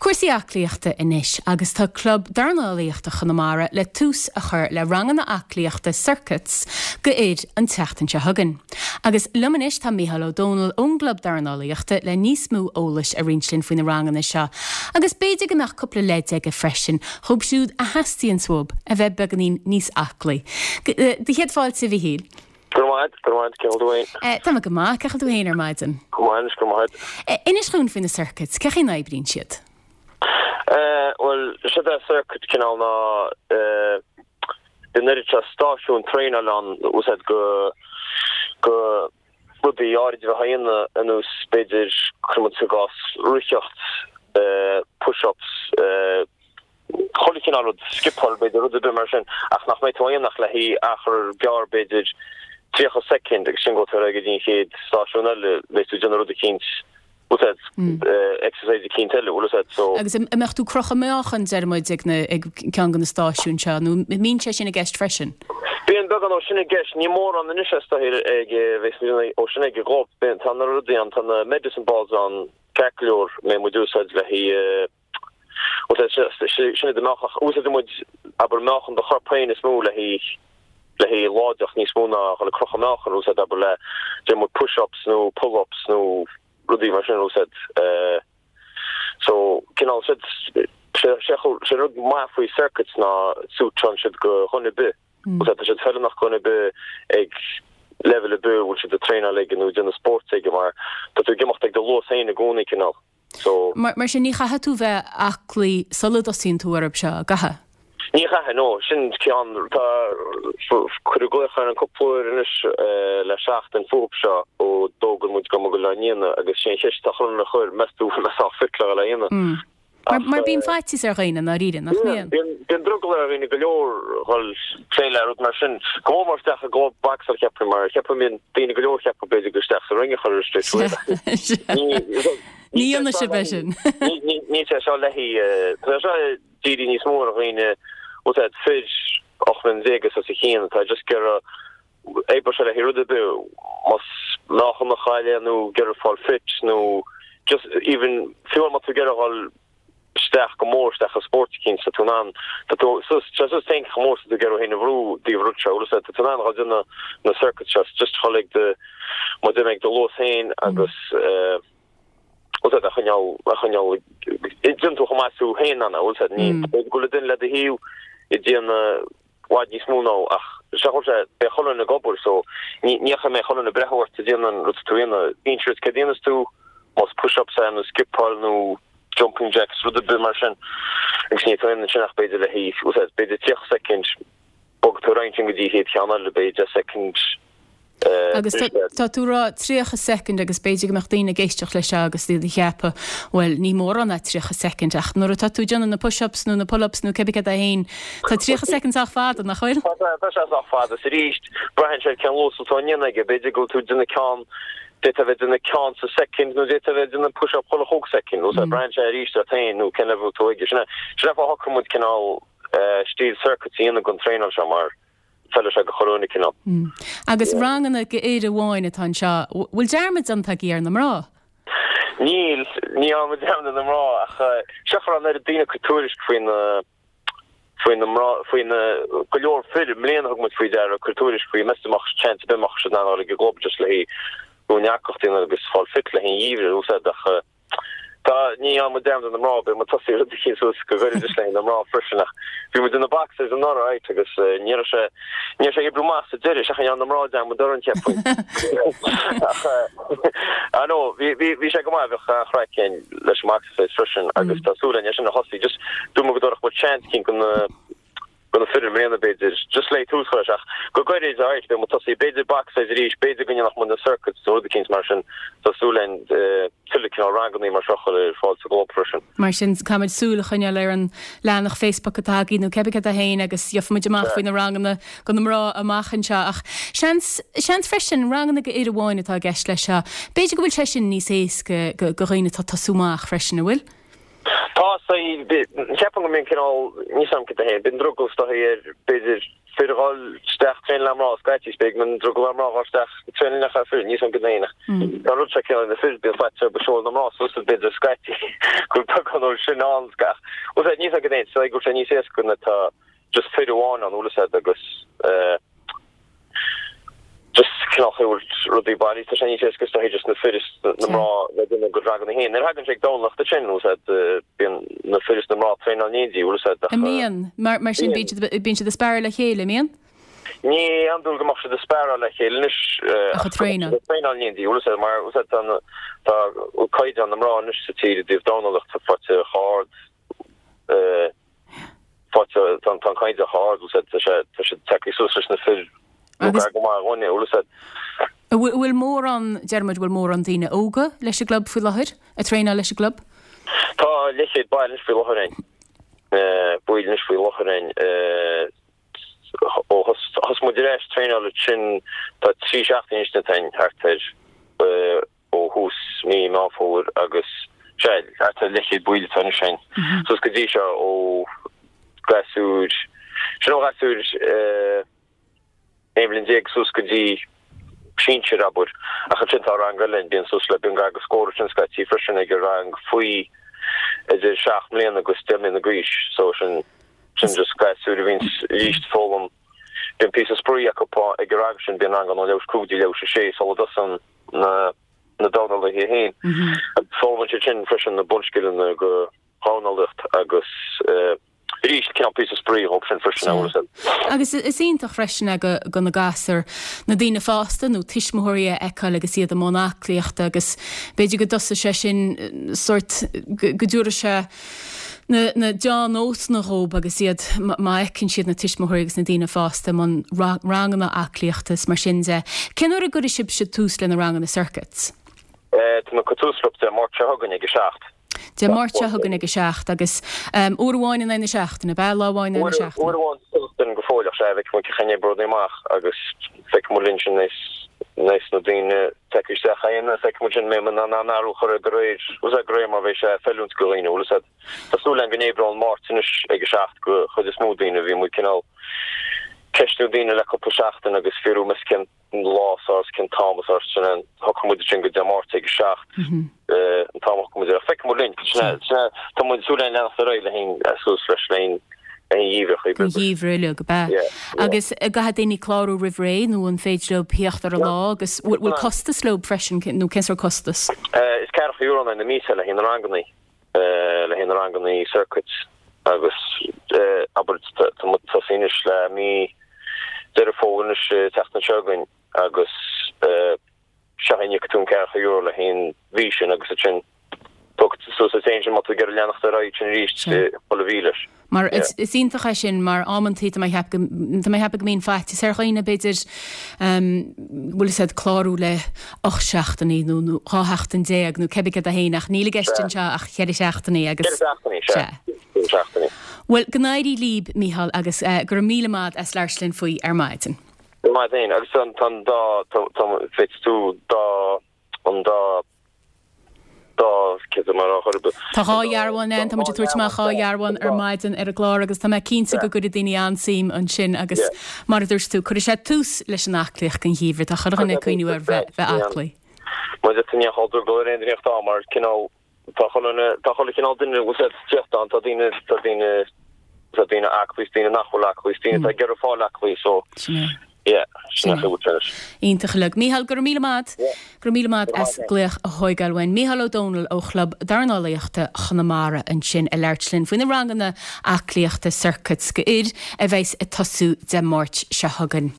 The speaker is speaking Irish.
Cúrsaí aclaíochta anois agus tá Club Dornálaíochta Chonamara le tús a chur le ranganna aclaíochta circuits go fhir an tseachtain seo chugainn. Agus liom anois tá Mícheál Ó Domhnaill ón gClub Dornálaíochta le níos mó eolais a roinnt linn faoi na ranganna seo agus b'fhéidir go mbeadh cúpla leid aige freisin dhóibh siúd a theastaíonns uathub a bheith beagáinín níos aclaí. Do chéad fáilte, a Mhíchíl. Go raibh maith agat, go raibh maith agat, cén chaoi a bhfuil tú féin? Tá mé go maith, cén chaoi a bhfuil tú féin ar maidin? Go maith anois, go raibh maith agat. Inis dhúinn faoi na circuits, cén chaoi a n-oibríonn siad? Bhuel, séard é circuit cineál ná bíonn oiread seo stáisiún traenáil ann úsáid go go rudaí áirid a bheith á dhéanamh ar nós b'fhéidir cuirfidh muid i gcás ritheacht, push-ups, chuile chineál rud, scipeáil b'fhéidir, rud ar bith mar sin, ach nach mbeidh tú á dhéanamh ach le haghaidh achar gearr b'fhéidir 30 soicind agus sin gabhfaidh tú ar aghaidh go dtí an chéad stáisiún eile, beidh tú ag déanamh rud eicínt, bhfuil a fhios agat, exercise eicínt eile, bhfuil a fhios agat, so. Agus an mbeadh tú ag crochadh meáchan, deir muid, ag na, ag ceann de na stáisiúin seo, nó an mbíonn sé sin i gceist freisin? Bíonn beagán ó sin i gceist, ní mórán anois is dóigh ag, bheas muid ó sin ag an gclub, bíonn, tá na rudaí ann, tá na medicine balls ann ceart go leor, a mbeidh muid úsáid le haghaidh, Sin iad na meáchan. Úsáideann muid, abair, meáchan do chorp féin is mó le haghaidh le haghaidh láidreacht níos mó ná a dhul ag crochadh meáchan. Úsáid, abair, le déanann muid push-ups nó pull-ups nó rudaí mar sin a úsáid. So, cineál, sé sé rud maith faoi circuits ná suiteann siad go dhuine ar bith. Úsáid, tá siad feiliúnach go dhuine ar bith ag leibhéal ar bith a bhfuil siad ag traenáil aige nó ag déanamh spóirt aige mar tá tú ag imeacht ag do luas féin i gcónaí cineál. So. Mar sin, ní chaithfidh tú bheith aclaí sula dtosaíonn tú orthu seo, an gcaithfidh? Ní chaithfidh, no. Sin ceann, tá, cuireadh glaoch orainn cúpla uair anois le seachtain fúthu seo ó d'fhógair muid go mbeadh á ndéanamh agus sé an cheist atá chuile dhuine a chur, meas tú an mbeidh sách fit le dhul á dhéanamh? Mar bíonn faitíos ar dhaoine, i ndáiríre, nach mbíonn? Bíonn, bíonn drogall ar dhaoine go leor dhul plé le rud mar sin. Go mór mór isteach i gclub bocsáil cheapfainn mar cheapfainn bíonn daoine go leor cheapfadh b'fhéidir go isteach sa ring a chur straight away. Ní dhéanfaidh sibh é sin. Níl sé seo le haghaidh, tá sé seo dírithe níos mó ar dhaoine, bhfuil a fhios agat, fir 18 mbliana is os a chionn atá just ag iarraidh oibreoidh sé le haghaidh rud ar bith, más meáchan a chailleadh nó ag iarraidh fáil fit nó just even fiú má tá tú ag iarraidh dhul isteach go mór isteach i spórt eicínt tá tú in ann tá tú suas tá suas féin chomh mór is tá tú ag iarraidh féin a bhrú taobh rud seo bhfuil a fhios agat tá tú in ann dhul déanamh na circuits seo just dhul ag do mar a déarfá ag do luas féin agus eh bhfuil a fhios agat a choinneáil a choinneáil déanann tú chomh maith is tú féin in ann bhfuil a fhios agat ní b'fhéidir go bhfuil duine le do thaobh ag déanamh bhfad níos mó ná ach seo chuir sé beidh chuile dhuine ag obair so ní ní chaithfidh mbeidh chuile dhuine ag breathnú ort ag déanamh an rud atá tú a dhéanamh. Inse duit céard a dhéanas tú, más push-ups é nó scipeáil nó jumping jacks rud ar bith mar sin agus níl tú a dhéanamh ansin ach b'fhéidir le haghaidh bhfuil a fhios agat b'fhéidir 30 soicind bogfaidh tú ar aghaidh ansin go dtí an chéad cheann eile b'fhéidir 10 soicind Agus tá tú ag rá 30 soicind agus b'fhéidir go mbeadh daoine ag éisteacht leis seo agus iad ag ceapadh, bhuel, ní mórán é 30 soicind, ach nuair atá tú ag déanamh na push-ups nó na pull-ups nó cibé céard é féin, tá 30 soicind sách fada, nach bhfuil? Tá sé sách fada. Is arís, braitheann sé ar cén luas atá á ndéanamh aige. B'fhéidir go bhfuil tú ag déanamh ceann, d'fhéadfá a bheith ag déanamh ceann sa soicind nó d'fhéadfá a bheith ag déanamh push-up chuile chúig soicind. Nó braitheann sé arís ort féin nó cén leibhéal atá tú aige. Sin é an fáth a shocraigh muid cineál stíl circuits a dhéanamh don traenáil seo mar, Feileann sé go chuile dhuine cineál. Agus ranganna go fhir amháin atá anseo. Bhfuil dearmad déanta agaibh ar na mná? Níl, ní dhearna muid dearmad ar na mná ach seo go raibh an oiread daoine ag cur tuairisc faoi na, faoi na mná, faoi na, go leor fir i mbliana thug muid faoi deara ag cur tuairisc faoi meas tú an mbeadh chance ar bith an mbeadh siad in ann a dhul ag an gclub just le haghaidh rúndearcacht a dhéanamh agus fáil fit le haghaidh an gheimhridh a úsáid ach Tá, ní dhearna muid dearmad ar na mná, beidh muid tosaí rud eicínt suas go gairid le haghaidh na mná freisin ach bhí muid ina boxers anuraidh right agus ní raibh sé, ní raibh sé ag oibriú amach sa deireadh, seachas dhearna na mná dearmad orainn cheapfainn. Ach ah no, bhí, bhí, bhí sé go maith, bheadh an-chraic againn leis an boxercise freisin agus tá súil againn é sin a thosaí, just dúirt muid go dtabharfadh muid chance eicínt go na, do na fir i mbliana b'fhéidir, just le tús a chur leis ach go gairid alright beidh muid tosaí, b'fhéidir boxsize arís, b'fhéidir go ndéanfadh muid na circuits nó rud eicínt mar sin, tá súil againn tuilleadh cineál rangannaí mar seo a chur ar fáil sa gclub freisin. Mar sin, caithfimid súil a choinneáil ar an leathanach Facebook atá agaibh nó cébí céard é féin agus gheobhaimid amach faoi na ranganna go na mná amach anseo ach seans, seans freisin, ranganna go fhir amháin atá i gceist leis seo. B'fhéidir go bhfuil sé sin níos éasca go dhaoine atá ag tosú amach freisin, an bhfuil? Tá. Ceapaim go mbíonn cineál, níl 'fhios a'm cad é féin, bíonn drogall is dóichí ar, b'fhéidir, fir a dhul isteach traenáil le mná scaití, is b'fhéidir go mbíonn drogall ar mná a dhul isteach traenáil le fir, níl 'fhios a'm cad é féin ach tá an rud seo cineál na fir, bíonn faitíos orthu seoladh na mná suas b'fhéidir scaití go bhfuil beagán dhó sin ann ach bhfuil 'fhios a'd, níl 'fhios a'm cad é féin, is dóigh go bhfuil sé níos éasca nuair atá just fir amháin ann, bhfuil 'fhios a'd, agus eh. just cineál chaoi a bhfuil rudaí bailí, tá sé níos éasca is dóichí just na fir is na mná le déanamh a gcuid ranganna féin. Nuair a thagann sé ag Domhnach duit sin, bhfuil 'fhios a'd, bíonn na fir is na mná ag traenáil in éindí, bhfuil 'fhios a'd, ach. An mbíonn? Mar, mar sin bíonn siad, bíonn siad ag sparáil le chéile, an mbíonn? Ní andúil go mbeadh siad ag sparáil le chéile anois, Ach ag traenáil. ag traenáil in éindí, bhfuil 'fhios a'd, mar, bhfuil 'fhios a'd, tá na, tá caighdeán na mná anois sa tír i dtaobh dornálaíocht faighte chomh hard, eh, Faighte, tá an caighdeán chomh hard, bhfuil 'fhios a'd, tá sé, tá siad tagtha suas leis na fir nó gar go maith dhúinne, bhfuil 'fhios a'd. An bhfuil mórán, deir muid, bhfuil mórán daoine óga leis an gclub faoi láthair, ag traenáil leis an gclub? Tá leathchéad baill anois faoi láthair ann, baill anois faoi láthair ann, ó thosaigh muid ar ais traenáil ansin, tá 3 seachtaine anois déanta againn thart ar, ó thús mí Meán Fómhair agus sea, thart ar leathchéad baill atá anois againn suas go dtí seo ó ghasúir, sin ó ghasúir 11 bhliain suas go dtí sinsir, abair. Ach ansin tá rang eile ann, bíonn suas le, bíonn gar go scór ansin scaití freisin ag an rang faoi idir 7 mbliana agus 10 mbliana d'aois so sin, sin just gasúir a bhíonns arís ag foghlaim, bíonn píosa spraoi acu ag an rang sin, bíonn rang ann ó leathuair tar éis 5 go dtí leathuair tar éis 6 sula dtosaíonn na na dornálaithe féin. Foghlaimíonn siad sin freisin na bunscileanna go dhornálaíocht agus arís cineál píosa spraoi dhóibh sin freisin a bhfuil. Agus is iontach freisin é go go na gasúir, na daoine fásta nó tuismitheoirí a fheiceáil agus iad i mbun aclaíochta agus b'fhéidir go dtosaigh sé sin sórt go dtabharfaidh sé na na deá-nósanna dhób agus iad má fheiceann siad na tuismitheoirí agus na daoine fásta i mbun ranganna aclaíochta is mar sin de. Cén uair a gcuirfidh sibhse tús le na ranganna circuits? Tá muid ag cur tús leo Dé Máirt seo chugainn ag a 7. Dé Máirt seo chugainn ag a 7 agus uair amháin in aghaidh na seachtaine, ab ea? Lá amháin in aghaidh na seachtaine? Uair amháin sa tseachtain go fóill ach sea, feicfidh muid cén chaoi a n-oibreoidh rudaí amach agus feicfidh muid linn sin leis na daoine tagtha isteach cheana, feicfidh muid sin mbeidh muid in ann athrú a chur air de réir, bhfuil 'fhios a'd, de réir mar bheidh sé ag feiliúint go dhaoine, bhfuil 'fhios a'd. Tá súil againn go n-oibreoidh an Máirt anois ag a 7 go chuid is mó daoine, bhí muid cineál ceistiú daoine le cúpla seachtain agus fiafraí meas cén lá is fearr is cén t-am is fearr sin an shocraigh muid sin go Dé Máirt ag a 7 an t-am a shocraigh muid air ach feicfidh muid linn, sin é, sin é, tá muid súil againn leanacht ar aghaidh le haghaidh suas leis le haghaidh an gheimhreadh. Don gheimhreadh uilig, ab ea? Agus an gcaithfidh daoine clárú roimh ré nó an féidir leo theacht ar an lá agus bhfuil costas leo freisin nó cén sórt costas? Is ceathracha euro in aghaidh na míosa le haghaidh na ranganna, le haghaidh na ranganna circuits agus abair tá muid tosaithe anois le mí Deireadh Fómhair anois an tseachtain seo chugainn agus sea íocfaidh tú an ceathracha euro le haghaidh an mhí sin agus ansin tógfaidh tú suas duit féin sin má tá tú ag iarraidh leanacht ar aghaidh sin arís chuile mhí leis. Mar is iontach é sin mar amantaí tá mé ag ceapadh go tá mé ag ceapadh go mbíonn faitíos ar dhaoine b'fhéidir bhfuil 'fhios a'd clárú le 8 seachtainí nó nó 12 sheachtain nó cébí céard é féin ach níl i gceist anseo ach cheithre seachtainí agus Ceithre seachtainí, sea. Ceithre seachtainí. Bhuel, go n-éirí líb, Mícheál, agus go raibh míle maith as labhairt linn faoi ar maidin. Go maith féin agus tá an dá féadfaidh tú dá an dá dá cé mar a chur Tá dhá dhearbhán ann, tá muid ag tabhairt amach dhá dhearbhán ar maidin ar an gclár agus tá mé cinnte go gcuirfidh daoine an-suim ansin agus mar a dúirt tú, cuirfidh sé tús leis an aclaíocht don gheimhreadh, tá chuile dhuine ag cuimhniú ar bheith aclaí. Mar tá ní chomh drogall ar aon duine ach tá mar cineál Tá chuile, tá chuile chineál duine bhfuil 'fhios a'd teacht ann, tá daoine, tá daoine, tá daoine aclaí is daoine nach bhfuil aclaí is daoine atá ag iarraidh fáil aclaí so Sin é. yeah, sin é an chaoi. Iontach uilig. Mícheál, go raibh míle maith Yeah. Go raibh míle maith as glaoch a thóigeáil uainn. Mícheál Ó Domhnaill ó Chlub Dornálaíochta Chonamara ansin ag labhairt linn faoi na ranganna aclaíochta circuits go fhir a bheas ag tosú Dé Máirt seo chugainn.